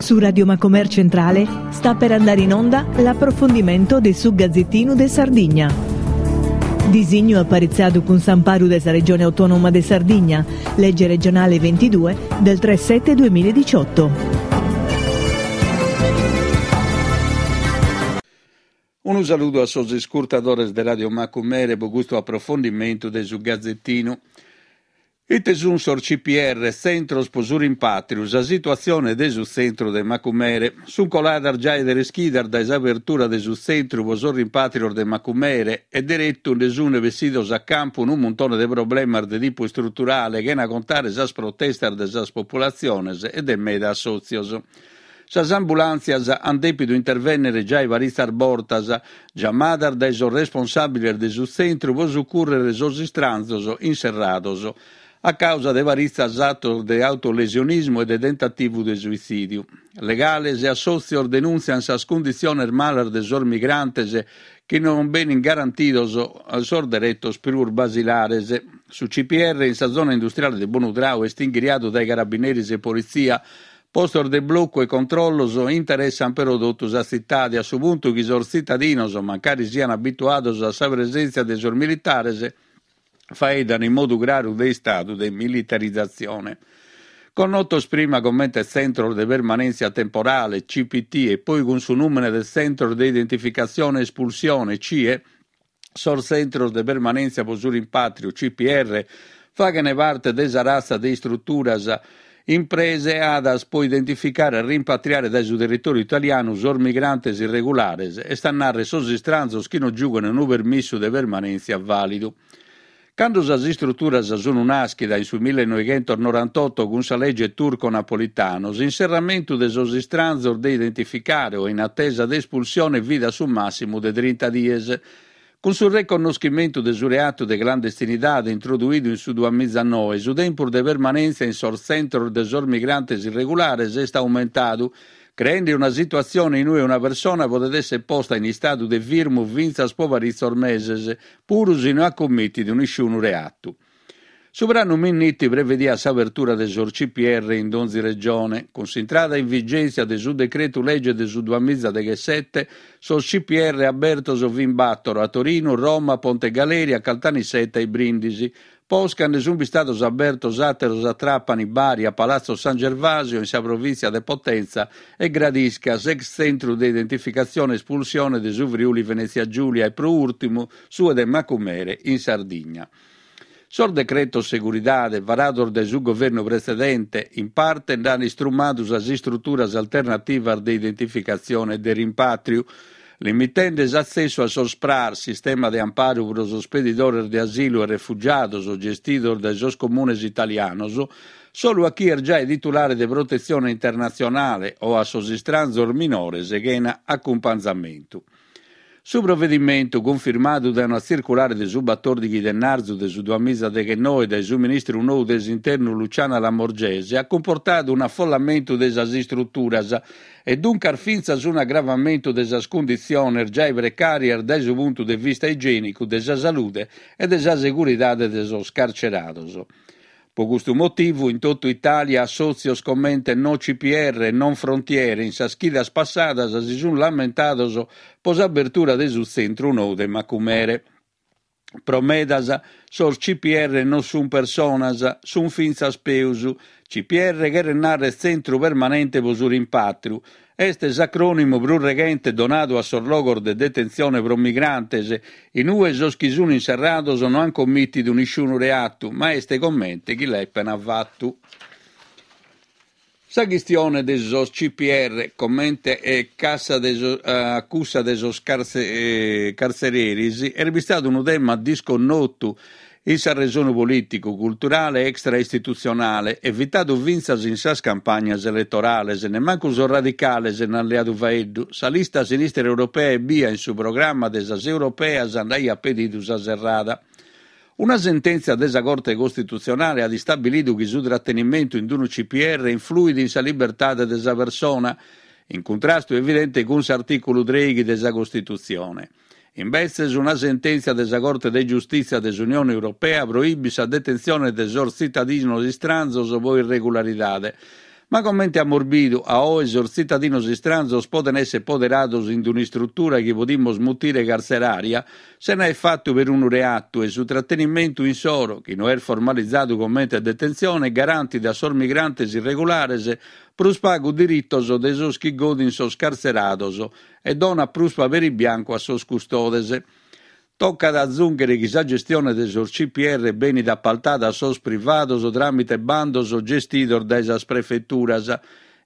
Su Radio Macomer Centrale sta per andare in onda l'approfondimento de su Gazzettinu de Sardigna. Disignu aparitzadu cun s'amparu de sa Regione Autonoma de Sardigna, legge regionale 22 del 3 7 2018. Unu saludu a sos iscurtadores de Radio Macumere pro custu aprofondimentu de su Gazetinu. Ite sunt sos CPR, Tzentros pro su Rimpàtriu, sa situatzione de su tzentru de Macumere. Sunt coladas giai tres chidas dae s'abertura de su tzentru pro sos rimpàtrios de Macumere e deretu nde sunt bessidos a campu unu muntone de problemas de tipu istruturale chena contare sas protestas de sas populatziones e de meda assòtzios. Sas ambulàntzias ant dèpidu intervènnere giai paritzas bortas, giamadas dae sos responsàbiles de su tzentru pro sucùrrere sos istranzos inserrados a càusa de paritzas atos de autolesionismu e de tentativu de suitzìdiu. Legales e assòtzios denùntziant sas cunditziones malas de sos migrantes chi non benint garantidos sos deretos prus basilares. Su CPR in sa zona industriale de Bonutrau est inghiriadu dae carabineris e politzia Postos de blocu e controllos interessant però totu sa tzitade, a su puntu chi sos tzitadinos, mancari siant abituados a sa presèntzia de sos militares, faeddan in modu craru de istadu de militarizatzione. Connotos prima comente Tzentros de Permanèntzia Temporale, CPT, e poi cun su nùmene de Tzentros de Identificatzione e Espulsione, CIE, Sos tzentros de permanèntzia pro su rimpàtriu, CPR, faghent parte de sa ratza de istruturas impreadas pro identificare e rimpatriare dae su territòriu italianu sos migrantes irregulares, est a nàrrere sos istranzos chi non giughent unu permissu de permanèntzia vàlidu. Cando sas istruturas sunt nàschidas in su millenoighentosnorantotto cun sa lege Turco-Napolitano, s'inserramentu de sos istranzos de identificare o in atesa de espulsione fit a su màssimu de trinta dies. Cun su reconnoschimentu de su reatu de clandestinidade introduidu in su duamizanoe, su tempus de permanèntzia in sos tzentros de sos migrantes irregulares est aumentadu, creende una situatzione in ue una persona podet èssere posta in istadu de firmu fintzas pro paritzos meses, puru si no at cummìtidu nisciunu reatu. Su pranu Minniti prevediat s'abertura de sos CPR in donzi regione. Cun s'intrada in vigèntzia de su decretu lege de su duamizadechesete, sos CPR abertos fin bàtoro, a Torinu, Roma, Ponte Galeria, Caltanissetta e Brìndisi. Posca nde sunt bistados abertos àteros a Tràpani, Bari, a Palazzo San Gervasio, in sa provìntzia de Potenza, e Gradisca, s'ex tzentru de identificatzione e espulsione de su Friuli Venètzia Giùlia e pro ùrtimu su de Macumere in Sardigna. Sos decretos seguridade, varados dae su governu pretzedente, in parte nd'ant istrumadu sas istruturas alternativas de identificatzione e de rimpàtriu, limitende s'atzessu a sos SPRAR, sistema de amparu pro sos pedidores de asilu e refugiados gestidos dae sos comunes italianos, solu a chie est giai titulare de protetzione internatzionale o a sos istranzos minores chena acumpanzamentu. Su provedimentu, cunfirmadu dae una tzirculare de su batòrdighi de narzu de su duamizadeghennoe dae su ministru nou de s'Internu Luciana Lamorgese, at cumportadu un'afollamentu de sas istruturas e duncas fintzas un'agravamentu de sas cunditziones giai precàrias dae su puntu de vista igiènicu, de sa salude e de sa seguridade de sos carcerados. Pro custu motivu in totu Itàlia assòtzios comente No CPR e Non Frontiere in sas chidas passadas si sunt lamentados pro s'abertura de su tzentru nou de Macumere. Pro medas sos CPR non sunt personas, sunt fintzas peus. CPR cheret nàrrere Tzentru Permanente pro su Rimpàtriu. Est s'acrònimu prus reghente donadu a sos logos de detentzione pro migrantes, in ue sos chi sunt inserrados no ant commìtidu nisciunu reatu, ma est comente chi l'epent fatu. Sa chistione de sos CPR, comente e cassa de a cussa de sos cartzereris, est bistadu unu tema disconnotu in s'arresonu polìticu, culturale e extra-istitutzionale, evitadu fintzas in sas campagnas eletorales, nemmancu sos radicales nd'ant leadu faeddu, sa lista Sinistra Europea ebbia in su programma de sas europeas nd'aiat pedidu sa serrada. Una sentèntzia de sa Corte Costitutzionale at istabilidu chi su tratenimentu in unu CPR influit in sa libertade de sa persona, in cuntrastu evidente cun s'artìculu trèighi de sa Costitutzione. Imbetzes una sentèntzia de sa Corte de Giustìtzia de s'Unione Europea proibit sa detentzione de sos tzitadinos istranzos pro irregularidade. Ma comente amus bidu, a oe sos tzitadinos istranzos poden èssere poderados in un'istrutura chi podimus mutire cartzerària, sena aer fatu perunu reatu e su tratenimentu insoro, chi no est formalizadu comente detentzione, garantit a sos migrantes irregulares prus pagu diritos de sos chi godin sos cartzerados e donat prus paperi biancu a sos custodes. Tocat a azùnghere chi sa gestione de sos CPR benit apaltada a sos privados tràmite bandos gestidos dae sas prefeturas.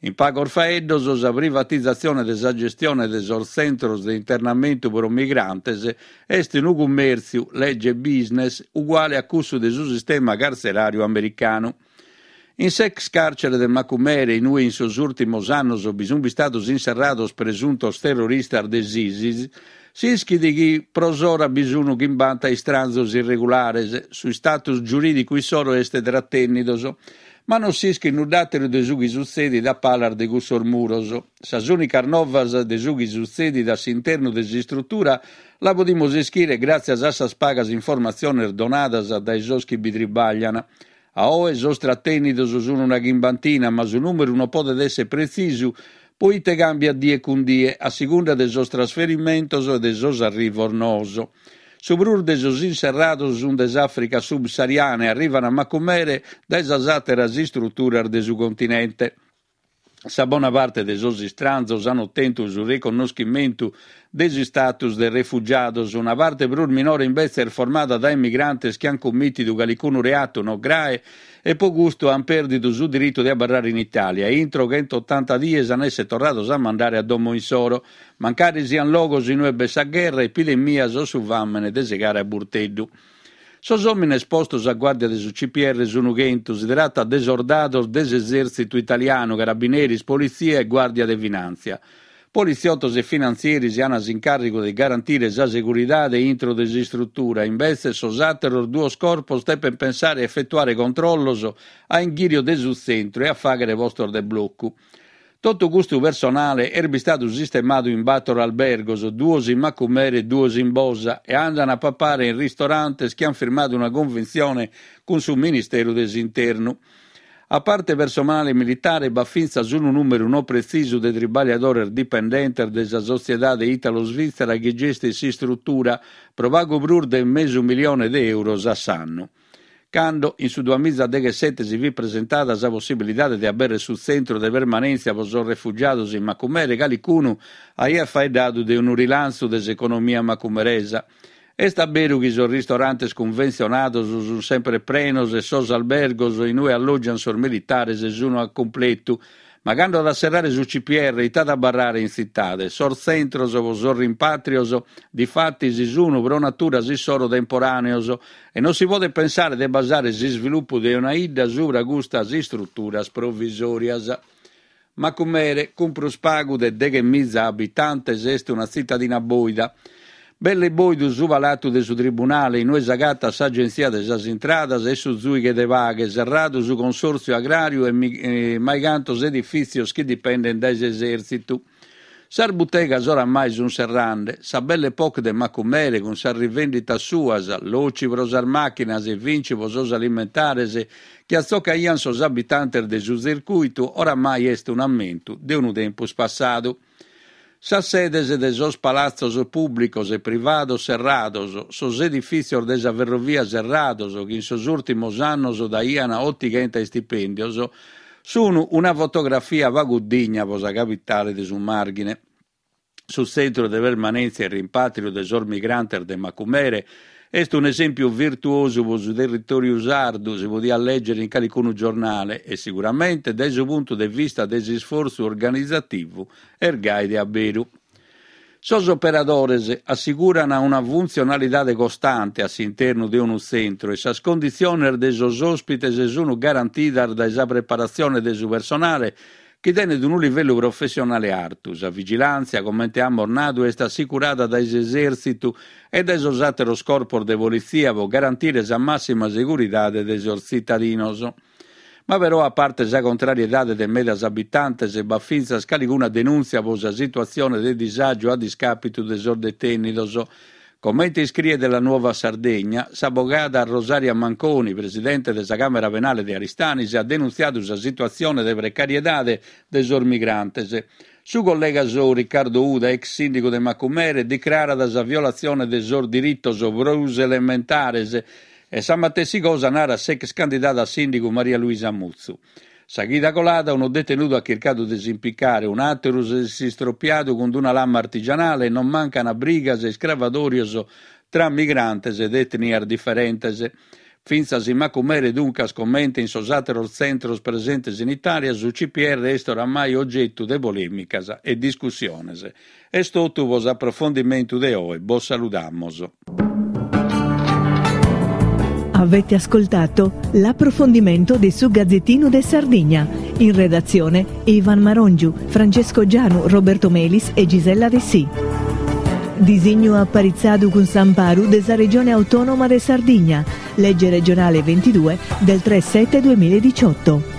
In pagos faeddos, sa privatizatzione de sa gestione de sos tzentros de internamentu pro migrantes est unu cummèrtziu, lege business, uguale a cussu de su sistema cartzeràriu americanu. In s'ex càrcere de Macumere, in ue in sos ùrtimos annos bi sunt bistados inserrados presuntos terroristas de s'ISIS, s'ischit chi pro s'ora bi sunt chimbanta istranzos irregulares, su status giurìdicu issoro est tratènnidos, ma non s'ischit nudd'àteru de su chi sutzedit a palas de cussos muros. Sas ùnicas novas de su chi sutzedit a s'internu de s'istrutura la podimus ischire gràtzias a sas pagas informatziones donadas dae sos chi bi tribaglian. A oe sos tratènnidos sun una chimbantina, ma su nùmeru non podet èssere pretzisu poite càmbiat die cun die, a segunda de sos trasferimentos e de sos arrivos noos. Su prus de sos inserrados sun de s'Àfrica subsahariana e arrivan a Macumere dae sas àteras istruturas de su continente. Sa bona parte de sos istranzos an otentu su reconnoschimentu de s'istatus de refugiados, una parte prus minore imbetze est formada dae migrantes chi an cummìtidu calicunu reatu no grae e pro custu an pèrdidu su diritu de abarrare in Itàlia e intro chentotanta dies an èssere torrados a mandare a domo insoro, mancari sian logos in ue b'est sa gherra, epidemias o su fàmene de segare a burteddu. Sos òmines postos a guàrdia de su CPR sunu chentu, si tratat de sordados de s'esèrtzitu italianu, carabineris, politzia e guàrdia de finàntzia. Politziotos e finantzieris an s'incàrrigu de garantire sa seguridade intro de s'istrutura, imbetzes sos àteros duos corpos depent pensare a efetuare controllos a inghìriu de su tzentru e a fàghere postos de blocu. Totu custu personale est bistadu sistemadu in bator albergos, duos in Macumere e duos in Bosa, e andan a papare in ristorantes chi an firmadu una conventzione cun su Ministeru de s'Internu. A parte personale militare b'at fintzas unu nùmeru no pretzisu de tribagliadores dipendentes de sa sotziedade italo-svitzera chi gestit s'istrutura pro pagu prus de mesu milione de euros a s'annu. Cando, in su duamizadeghesete si fit presentada sa possibilidade de abèrrere su tzentru de permanèntzia pro sos refugiados in Macumere, calicunu aiat faeddadu de unu rilantzu de s'economia macumeresa. Est a beru chi sos ristorantes cunventzionados sunt semper prenos e sos albergos in ue allògiant sos militares sunt a cumpletu, Ma cando at a serrare su CPR ite at a abarrare in tzitade? Sos tzentros pro sos rimpàtrios, difatis, sun pro natura issoro temporàneos e non si podet pensare de basare s'isvilupu de una 'idda subra custas istruturas provisòrias. Macumere, cun prus pagu de deghemiza abitantes, est una tzitadina bòida. Belle bòidu su palatu de su tribunale, in ue s'agatat s'Agentzia de sas Intradas e su Zùighe de Paghe, serradu su Consòrtziu Agràriu e maicantos edifìtzios chi dipendent dae s'Esèrtzitu. Sas butegas oramai sunt serrande. Sa Belle Époque de Macumere, cun sas rivènditas suas, Loci pro sas màchinas e Vinci pro sos alimentares, chi atzocaiant sos abitantes de su tzircùitu, oramai est un'ammentu de unu tempus passadu. Sas sedes de sos palatzos pùblicos e privados serrados, sos edifìtzios de sa ferrovia serrados, chi in sos ùrtimos annos daiant otighenta istipèndios, sun una fotografia pagu digna pro sa capitale de su Màrghine. Su tzentru de permanèntzia e rimpàtriu de sos migrantes de Macumere est un'esèmpiu virtuosu pro su territòriu sardu, si podiat lègere in calicunu giornale, e siguramente dae su puntu de vista de s'isfortzu organizativu est gai de a beru. Sos operadores assiguran una funtzionalidade costante a s'internu de unu tzentru e sas conditziones de sos òspites sunt garantidas dae sa preparatzione de su personale chi tenet unu livellu professionale artu. Sa vigilàntzia, comente amus nadu, est assicurada dae s'esèrtzitu e dae sos àteros corpos de politzia pro garantire sa màssima seguridade de sos tzitadinos. Ma però, a parte sa contrariedade de medas abitantes, b'at fintzas calicuna denùntzia pro sa situatzione de disàgiu a discàpitu de sos detènnidos. Comente iscriet La Nuova Sardegna, s'abogada Rosaria Manconi, presidente de sa Càmera Penale de Aristanis, at denuntziadu sa situatzione de precariedade de sos migrantes. Su collega sou Riccardo Uda, ex sìndigu de Macumere, dicrarat sa violatzione de sos diritos prus elementares e sa matessi cosa narat s'ex candidada a sìndigu Maria Luisa Mutzu. Sa chida colada unu detenudu at chircadu de s'impicare, un'àteru s'est istropiadu cun una lama artigianale e non mancant brigas e iscravadòrios tra migrantes de etnias diferentes. Fintzas in Macumere, duncas, comente in sos àteros tzentros presentes in Itàlia, su CPR est oramai ogetu de polèmicas e discussiones. Est totu pro s'aprofondimentu de oe, bos saludamos. Avete ascoltato l'approfondimento de su Gazzettino de Sardigna. In redazione Ivan Marongiu, Francesco Gianu, Roberto Melis e Gisella Dessì. Disignu aparitzadu cun s'amparu de sa Regione Autonoma de Sardigna, legge regionale 22 del 3 7 2018.